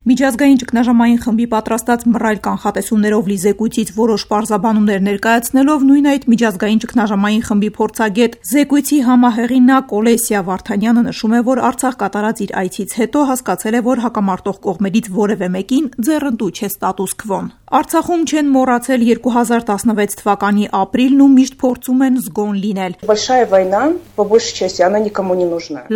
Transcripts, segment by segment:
Միջազգային ճգնաժամային խմբի պատրաստած մռայլ կանխատեսումներով լի զեկույցից որոշ պարզաբանումներ ներկայացնելով նույն այդ միջազգային ճգնաժամային խմբի փորձագետ զեկույցի համահեղինակ Օլեսիա Վարդանյանը նշում է, որ Արցախ կատարած իր այցից հետո հասկացել է, որ հակամարտող կողմերից որևէ մեկին ձեռնտու չէ ստատուս քվոն։ Արցախում չեն մոռացել 2016 թվականի ապրիլն ու միշտ փորձում են զգոն լինել։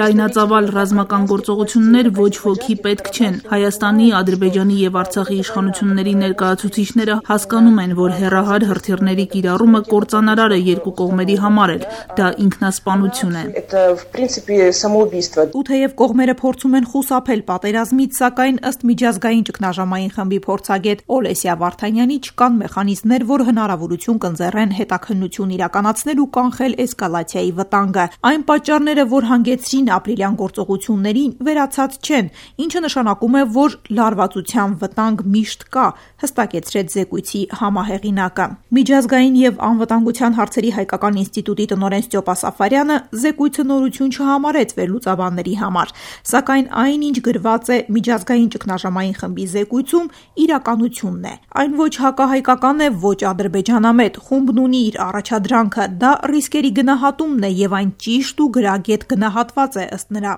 Լայնածավալ ռազմական գործողություններ ոչ ոքի պետք չեն։ Հայաստանի, Ադրբեջանի եւ Արցախի իշխանությունների ներկայացուցիչները հասկանում են, որ հեռահար հրթիռների կիրառումը կործանարար է երկու կողմերի համար էլ։ Դա ինքնասպանություն է։ Ու թեև կողմերը փորձում են խուսափել պատերազմից, սակայն ըստ միջազգային ճգնաժամային խմբի փորձագետ Օլեսիա Վարդանյանի չկան մեխանիզմներ, որ հնարավորություն կընձեռեն հետաքննություն իրականացնել ու կանխել էսկալացիայի վտանգը։ Այն պատճառները, որ հանգեցրին ապրիլյան գործողություններին, վերացած չեն, ինչը նշանակում է, որ լարվածության վտանգ միշտ կա, հստակեցրեց զեկույցի համահեղինակը։ Միջազգային եւ անվտանգության հարցերի հայկական ինստիտուտի տնօրեն Ստյոպա Սաֆարյանը զեկույցը նորություն չհամարեց վերլուծաբանների համար, սակայն այն, ինչ գրված է միջազգային ճգնաժամային խմբի զեկույցում, իրականությունն է։ Այն ոչ հակահայկական է, ոչ ադրբեջանամետ, խումբն ունի իր առաջադրանքը, դա ռիսկերի գնահատումն է եւ այն ճիշտ ու գրագետ գնահատված է ըստ նրա։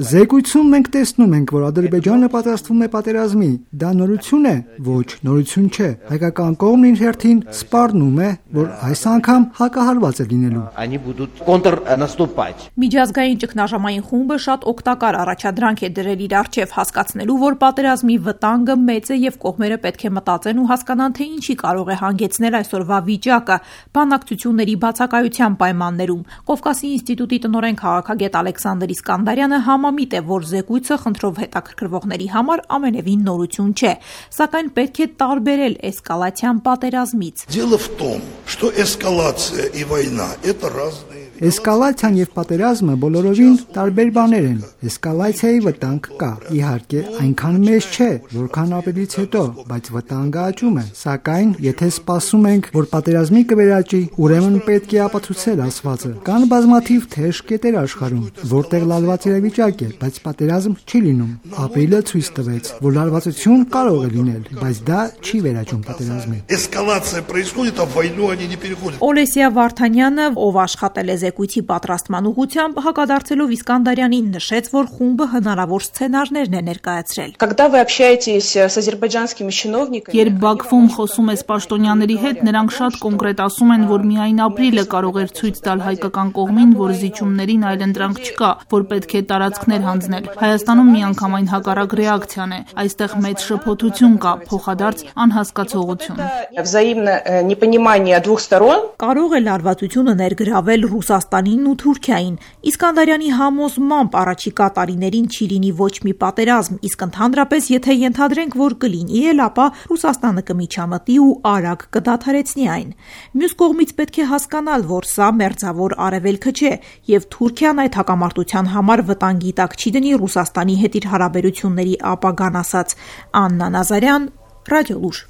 Զեկույցում մենք տեսնում ենք, որ Ադրբեջանը պատրաստվում է պատերազմի։ Դա նորություն է, ոչ նորություն չէ։ Հայկական կողմն իր հերթին սպառնում է, որ այս անգամ հակահարված է լինելու։ Միջազգային ճգնաժամային խումբը շատ օգտակար առաջադրանք է դրել իր առջև հասկացնելու, որ պատերազմի վտանգը մեծ է եւ կողմերը պետք է մտածեն ու հասկանան, թե ինչի կարող է հանգեցնել այսօրվա վիճակը բանակցությունների բացակայության պայմաններում։ Կովկասի ինստիտուտի տնօրեն քաղաքագետ Ալեքսանդր Իսկանդարյանը համամիտ է, որ զեկույցը խնդրով հետաքրքրվողների համար ամենևին նորություն չէ, սակայն պետք է տարբերել էսկալացիան պատերազմից։ Էսկալացիան եւ պատերազմը բոլորովին տարբեր բաներ են։ Էսկալացիայի վտանգ կա, իհարկե, այնքան մեծ չէ, որքան ապրիլից հետո, բայց վտանգը աճում է։ Սակայն, եթե սպասում ենք, որ պատերազմի կվերաճի, ուրեմն պետք է ապացուցել ասվածը։ Կան բազմաթիվ թեժ կետեր աշխարհում, որտեղ լարված իրավիճակ է, բայց պատերազմ չի լինում։ Ապրիլը ցույց տվեց, որ լարվածություն կարող է լինել, բայց դա չի վերաճում պատերազմին։ Օլեսիա Վարդանյանը, ով աշխատել է զեկույցի պատրաստման ուղղությամբ, հակադարձելով Իսկանդարյանին, նշեց, որ խումբը հնարավոր սցենարներն է ներկայացրել։ Երբ Բաքվում խոսում ես պաշտոնյաների հետ, նրանք շատ կոնկրետ ասում են, որ միայն ապրիլը կարող էր ցույց տալ հայկական կողմին, որ զիջումներին այլընտրանք չկա, որ պետք է տարածքներ հանձնել։ Հայաստանում միանգամայն հակառակ ռեակցիան է։ Այստեղ մեծ շփոթություն կա, փոխադարձ անհասկացողություն։ Կարող է լարվածությունը ներգրավել Ռուսաստանին ու Թուրքիային։ Իսկանդարյանի համոզմամբ առաջիկա տարիներին չի լինի ոչ մի պատերազմ, իսկ ընդհանրապես, եթե ենթադրենք, որ կլինի էլ, ապա Ռուսաստանը կմիջամտի ու արագ կդադարեցնի այն։ Մյուս կողմից պետք է հասկանալ, որ սա մերձավոր արևելքը չէ, եւ Թուրքիան այդ հակամարտության համար վտանգի տակ չի դնի Ռուսաստանի հետ իր հարաբերությունների ապագան, ասաց Աննա Նազարյան, Ռադիոլուր։